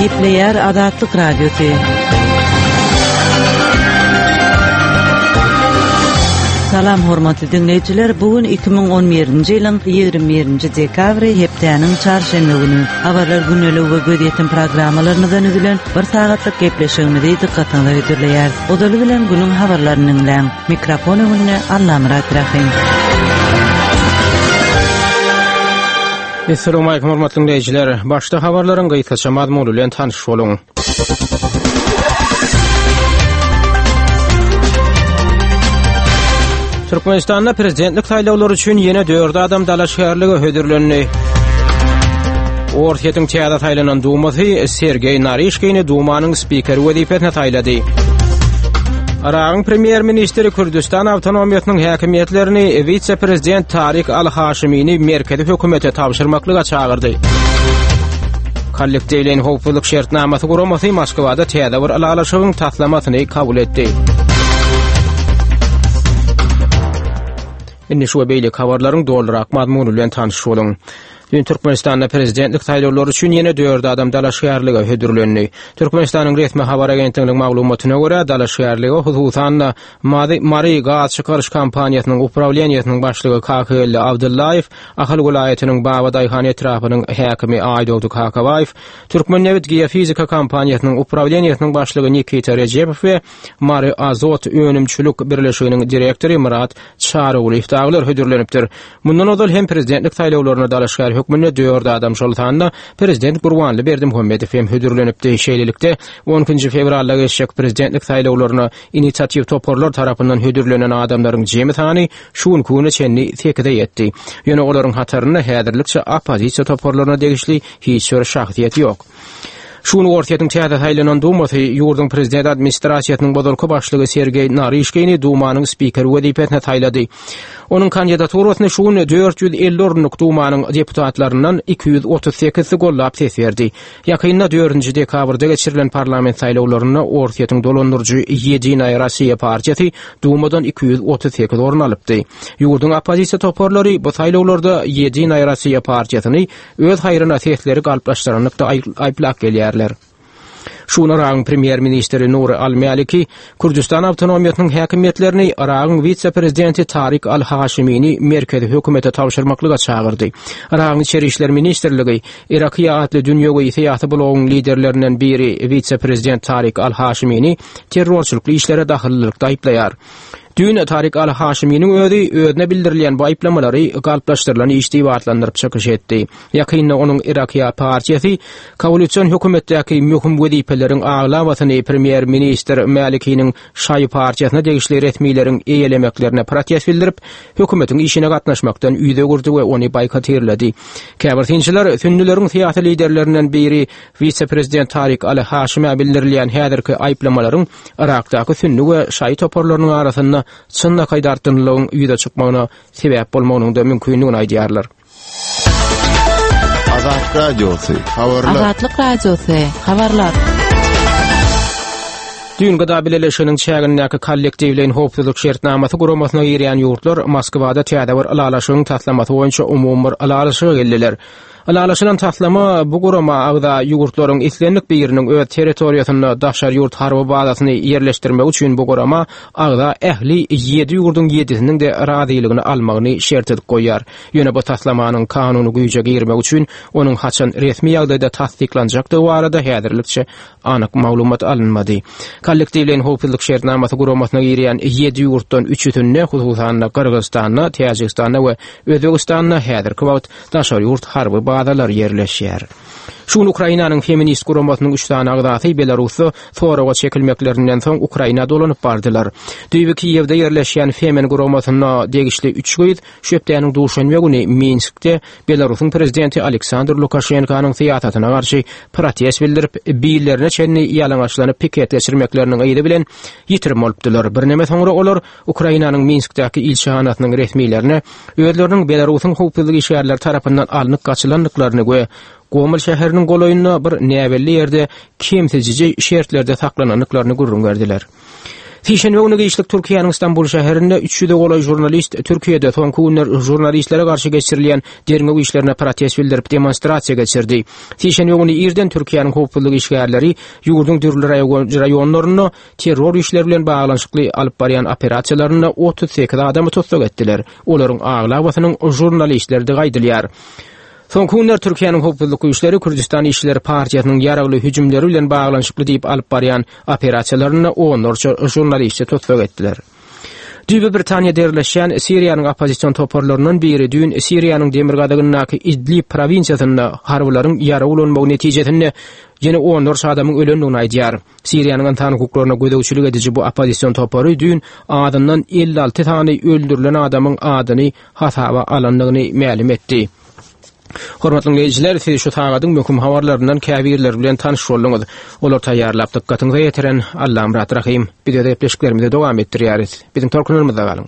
Gepleýär Azatlyk Radiosy. Salam hormatly diňleýjiler, bu gün 2011-nji ýylyň 21-nji dekabry hepdäniň çarşenbe güni. Habarlar gündelik we gözýetim programmalarymyzdan düzülen bir sagatlyk gepleşigimizi dykgatyňyza hödürleýäris. Ozaly bilen günüň habarlaryny diňläň. Mikrofon öňünde Allamyrat Rahym. Assalamualaikum hormatly dinleýjiler. Başda habarlaryň gysgaça mazmuny bilen tanyş boluň. Türkmenistanda prezidentlik saýlawlary üçin ýene 4 adam dalaşgärlige hödürlendi. Orsýetiň täze saýlanan Dumasy Sergeý Naryşkini Dumanyň spikeri wezipesine saýlady. Yragyň premýer-ministri Kürdüstan awtonomiýasynyň häkimiýetlerini wise-prezident Tarik al-Haşimini merkezi hökümete tabşyrmaklyga çagyrdy. Kollektiwleýin howpsuzlyk şertnamasy guramasy Moskwada täze bir ylalaşygyň taslamasyny kabul etdi. Indi şu we beýleki habarlaryň dolurak mazmuny bilen tanyş boluň. Düýn Türkmenistanda prezidentlik saýlawlary üçin ýene dört adam dalaşgärlige hödürlendi. Türkmenistanyň resmi habar agentliginiň maglumatyna görä, dalaşgärlige hususan-da Mary Mary gaz çykaryş kompaniýasynyň uprawleniýesiniň başlygy Kakageldi Abdyllaýew, Ahal welaýatynyň Babadaýhan etrapynyň häkimi Aýdogdy Kakabaýew, Türkmennebit geofizika kompaniýasynyň uprawleniýesiniň başlygy Nikita Rejepow we Mary Azot önümçilik birleşiginiň direktory Myrat Çarygulyýew dagylar hödürlenipdir. Mundan ozal hem prezidentlik saýlawlaryna dalaşgär hökmünde dört adam, şol sanda prezident Gurbanly Berdimuhamedow hem hödürlenipdi. Şeýlelikde, on ikinji fewralda geçjek prezidentlik saýlawlaryna inisiatiw toparlar tarapyndan hödürlenen adamlaryň jemi sany şu günki güne çenli sekize ýetdi. Ýöne olaryň hatarynda häzirlikçe oppozisiýa toparlaryna degişli hiç bir şahsyýet ýok. Şu gün Orsýetiň täze saýlanan Dumasy ýurduň prezident administrasiýasynyň ozalky başlygy Sergeý Naryşkini Dumanyň spikeri wezipesine saýlady. Onuň kandidaturasyny şu gün 450 orunlyk Dumanyň deputatlaryndan 238-si goldap ses berdi. Ýakynda dördünji dekabrda geçirilen parlament saýlawlarynda Orsýetiň dolandyryjy Ýedinaýa Rossiýa partiýasy Dumadan 238 orun alypdy. Ýurduň oppozisiýa toparlary bu saýlawlarda Ýedinaýa Rossiýa partiýasyny öz haýryna sesleri galplaşdyranlykda aýyplap gelýärler. Şu gün Yragyň premýer-ministri Nuri al-Maliki Kürdüstan awtonomiýasynyň häkimiýetlerini Yragyň wise-prezidenti Tarik al-Haşimini merkezi hökümete tabşyrmaklyga çagyrdy. Yragyň Içeri işler ministrligi Irakiýa atly dünýewi syýasy blogyň liderlerinden biri wise-prezident Tarik al-Haşimini terrorçylykly işlere dahyllylykda aýyplaýar. Düýn Tarik al-Haşiminiň özi özüne bildirilýän bu aýyplamalary galplaşdyrylan iş diýip atlandyryp çykyş etdi. Ýakynda onuň Irakiýa partiýasy koalision hökümetdäki möhüm wezipeleriň aglabasyny premýer-ministr Mälikiniň şaýy partiýasyna degişli resmileriň eýelemeklerine protest bildirip, hökümetiň işine gatnaşmakdan ýüz öwürdi we ony boýkotirledi. Käbir synçylar sünnüleriň syýasy liderlerinden biri wise-prezident Tarik al-Haşimä bildirilýän häzirki aýyplamalaryň Yrakdaky sünni we şaýy toparlarynyň arasynda çynlakaý dartgynlylygyň ýüze çykmagyna sebäp bolmagynyň-da mümkindigini aýdýarlar. Azatlyk Radiosy, habarlar. Azatlyk Radiosy, habarlar. Düýn Gda Bileleşiginiň çägindäki Kollektiwleýin howpsuzlyk şertnamasy guramasyna girýän ýurtlar Moskwada täze bir ylalaşygyň taslamasy boýunça umumy bir ylalaşyga geldiler. Ylalaşylan taslama bu gurama agza ýurtlaryň islendik biriniň öz territoriýasynda daşary ýurt harby bazasyny ýerleşdirmegi üçin bu gurama agza ähli ýedi ýurduň ýedisiniň-de razylygyny almagyny şert edip goýýar. Ýöne bu taslamanyň kanuny güýje girmegi üçin onuň haçan resmi ýagdaýda tassyklanjakdygy barada häzirlikçe anyk maglumat alynmady. Kollektiwleýin howpsuzlyk şertnamasy guramasyna girýän ýedi ýurtdan üçüsinde, hususan-da, Gyrgyzystanda, Täjigistanda we Özbegistanda häzirki wagt daşary ýurt harby bazalary ýerleşýär. Şu gün Ukrainanyň feminist guramasynyň üç sany agzasy Belarusda soraga çekilmeklerinden soň Ukraina dolanyp bardylar. Düýbi Kiýewde ýerleşýän Femen guramasyna degişli üç gyz şu hepdäniň duşenbe güni Minskde Belarusyň prezidenti Aleksandr Lukaşenkanyň syýasatyna garşy protest bildirip, billerine çenli ýalaňaçlanyp piket geçirmekleriniň yzy bilen ýitirim bolupdylar. Birneme soňra olar Ukrainanyň Minskdäki ilçihanasynyň resmilerine özleriniň Belarusyň howpsuzlyk işgärleri tarapyndan alnyp gaçylandyklaryny we Gomel şäheriniň golaýynda bir näbelli ýerde kemsidiji şertlerde saklanandyklaryny gürrüň berdiler. Sişenbe güni giçlik Türkiýäniň Stambul şäherinde 300-e golaý žurnalist Türkiýede soňky günler žurnalistlere garşy geçirilýän derňew işlerine protest bildirip demonstrasiýa geçirdi. Sişenbe güni irden Türkiýäniň howpsuzlyk işgärleri ýurduň dürli raýonlarynda terror işleri bilen baglanyşykly alyp barýan operasiýalarynda 38 adamy tussag etdiler. Olaryň aglabasynyň žurnalistlerdigi aýdylýar. Soňky günler Türkiýäniň howpsuzlyk güýçleri Kürdüstan işçileri partiýasynyň ýaragly hüjümleri bilen baglanyşykly diýip alyp barýan operasiýalarynda onlarça žurnalisti tussag etdiler. Düýbi Britaniýada ýerleşýän Siriýanyň oppozision toparlaryndan biri düýn Siriýanyň demirgazygyndaky Idlib prowinsiýasynda harbylaryň ýarag ulanmagy netijesinde ýene onlarça adamyň ölendigini aýdýar. Siriýanyň ynsan hukuklaryna gözegçilik ediji bu oppozision topary düýn azyndan 56 sany öldürilen adamyň adyny hasaba alandygyny mälim etdi. Hormatly diňleýjiler, siz şu sagadyň möhüm habarlaryndan käbirleri bilen tanyş bolduňyz. Olary taýýarlap dykgatyňyza ýetiren Allamyrat Rahym. Biz öz gepleşiklerimizi dowam etdirýäris. Biziň tolkunlarymyzda galyň.